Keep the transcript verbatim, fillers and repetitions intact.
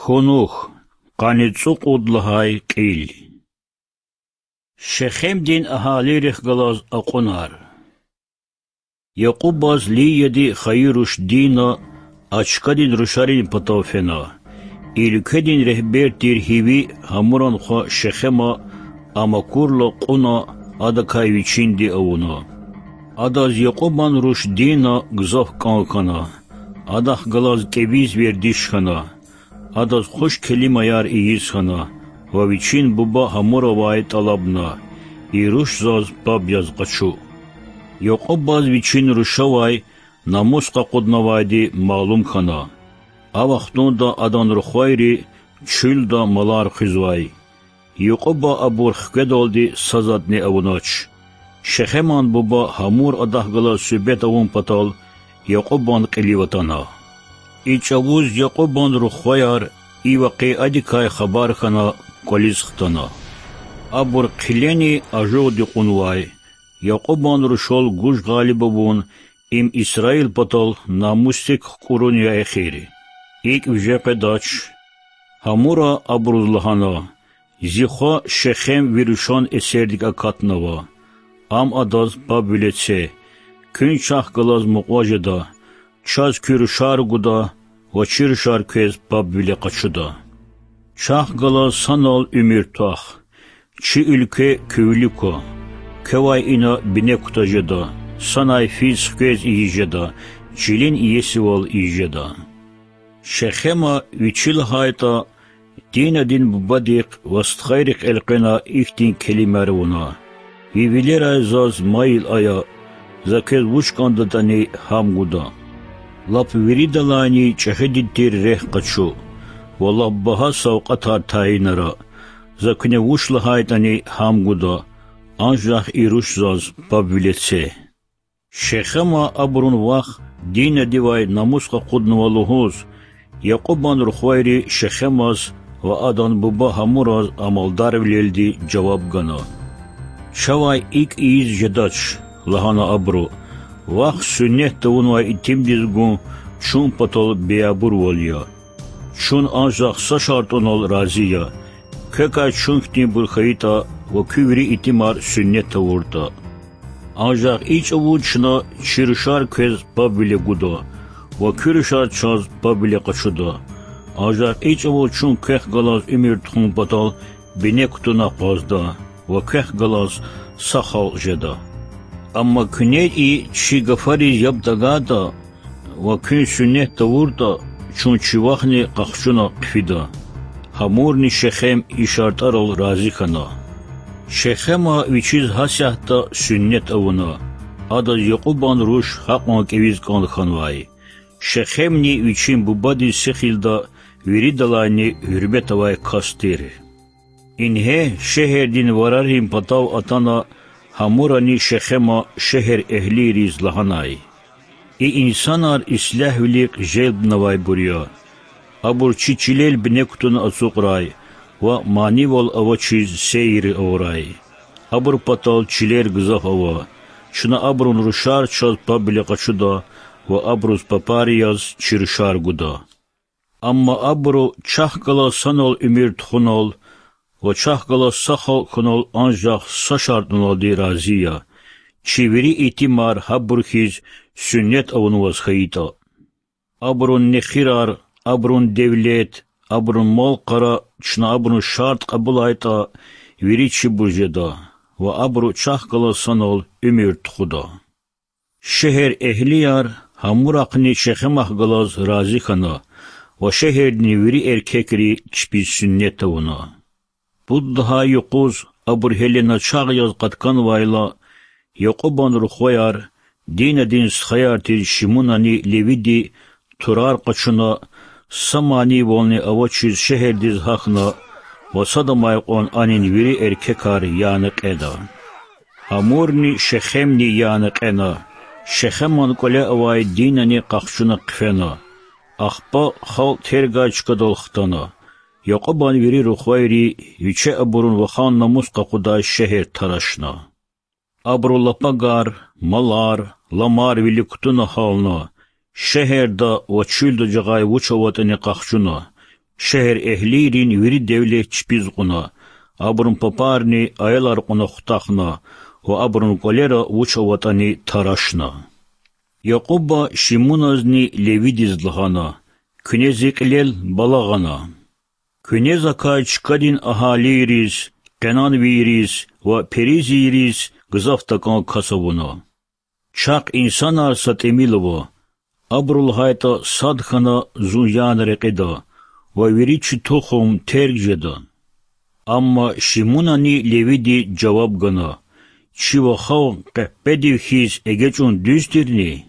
Хьунухь, къанни цӀукьуд лагьай кьил. Шехемдин агьалийрихъ галаз акьунар. Якьубаз Лияди хайи руш Дина а чкадин рушарин патав фена. И уьлкведин регьбер тир Гьиви Гьамуран хва Шехема а макурла кьуна, адакай вичинди авуна. Адаз Якьубан руш Дина гзаф кӀан хьана. Адахъ галаз кӀевиз вердиш хьана. Адаз хуш келимаяр ийиз хьана ва вичин буба Гьамуравай тӀалабна: И руш заз паб яз къачу. Якьубаз вичин рушавай намус къакъуднавайди малум хьана. А вахтунда адан рухвайри чуьлда малар хуьзвай. Якьуба абур хкведалди са затӀни авунач. Шехеман буба Гьамур адахъ галаз суьгьбет авун патал Якьубан кьилив атана. И чӀавуз Якьубан рухваяр и вакъиадикай хабар хьана кӀвализ хтана. Абур хъилени ажугъди кьунвай. Якьубан рушал гуж гъалиб авун им Исраил патал намусдик хкӀурун я эхир. ИкӀ виже къведач. Гьамура абуруз лагьана: Зи хва Шехем ви рушан эсердик акатнава. Ам адаз пабвиле це. Куьн чахъ галаз мукьва жеда, чаз куь рушар гуда ва чи рушар квез пабвиле къачуда. Чахъ галаз санал уьмуьр твах. Чи уьлкве куь вилик ква. Квевай ина бине кутаз жеда, санай физ хквез ийиз жеда, чилин иесивал ийиз жеда. Шехема вичи лагьайтӀа, Динадин бубадихъ ва стхайрихъ элкъвена ихьтин келимаяр авуна: Ви вилерай заз майил ая, за квез вуч кӀандатӀани, гьам гуда. Лап виридалайни чӀехиди тир рехъ къачу ва лап багьа савкьватар тайинара, за куьне вуч лагьайтӀани, гьам гуда, анжах и руш заз пабвиле це. Шехема абурун вах Динадивай намус къакъуднава лугьуз, Якьубан рухвайри Шехемаз ва адан буба Гьамураз амалдарвилелди жаваб гана. Чавай икӀ ийиз жедач,— лагьана абуру,— вахъ суннет тавунвай итимдиз гун чун патал беябурвал я. Чун анжах са шартӀунал рази я: квекай чун хьтинбур хьайитӀа ва куь вири итимар суннет тавуртӀа. Анжах и чӀавуз чна чи рушар квез пабвиле гуда ва куь рушар чаз пабвиле къачуда. Анжах и чӀавуз чун квехъ галаз уьмуьр тухун патал бине кутуна акъвазда ва квехъ галаз са халкь жеда. Амма куьне и чи гафариз яб тагайтӀа ва куьн суннет тавуртӀа, чун чи вахни къахчуна хъфида. Гьамурни Шехем и шартӀарал рази хьана. Шехема вичиз гьасятда суннет авуна. Адаз Якьубан руш гьакьван кӀевиз кӀан хьанвай. Шехемни вичин бубадиз сихилда виридалайни гьуьрмет авай кас тир. Ингье шегьердин варарин патав атана Гьамурани Шехема шегьер эгьлийриз лагьанай: И инсанар ислягьвилихъ желбнавайбур я. Абур чи чилел бине кутуна ацукьрай ва манивал авачиз сейир авурай. Абур патал чилер гзаф ава. Чна абурун рушар чаз пабвиле къачуда ва абуруз папар яз чи рушар гуда. Амма абуру чахъ галаз санал уьмуьр тухунал ва чахъ галаз са халкь хьунал анжах са шартӀуналди рази я: чи вири итимар гьабур хьиз суннет авунваз хьайитӀа. Абурун нехирар, абурун девлет, абурун мал-къара чна абурун шартӀ кьабулайтӀа, вири чибур жеда ва абуру чахъ галаз санал уьмуьр тухуда. Шегьер эгьлияр Гьамурахъни Шехемахъ галаз рази хьана ва шегьердин вири эркекри чпиз суннет тавуна. Пуд лагьай юкъуз абур гьеле начагъ яз къатканвайла, Якьубан рухваяр, Динадин стхаяр тир Шимунани Левиди турар къачуна, са манивални авачиз шегьердиз гьахьна ва садамай кьван анин вири эркекар яна кьена. Гьамурни Шехемни яна кьена, Шехеман кӀвале авай Динани къахчуна хъфена. Ахпа халкь тергай чкадал хтана. Якьубан вири рухвайри виче абурун вахан намус къакъудай шегьер тарашна. Абуру лапагар, малар, ламар вилик кутуна гьална, шегьерда ва чуьлда жагъай вуч аватӀани къахчуна, Шегьерэгьлийрин вири девлет чпиз кьуна, абурун папарни аялар кьуна хутахна ва абурун кӀвалера вуч аватӀани тарашна. Якьуба Шимуназни Левидиз лагьана: Куьне зи кьилел бала гъана. Куьне закай чкадин агьалийриз, къенанвийриз ва перизийриз гзаф такӀан кас авуна. Чахъ инсанар са тӀимил ава, абуру лагьайтӀа сад хьана зун яна рекьида ва вири чи тухум терг жеда. Амма Шимунани Левиди жаваб гана: Чи вахав къеппедив хьиз эгечӀун дуьз тирни?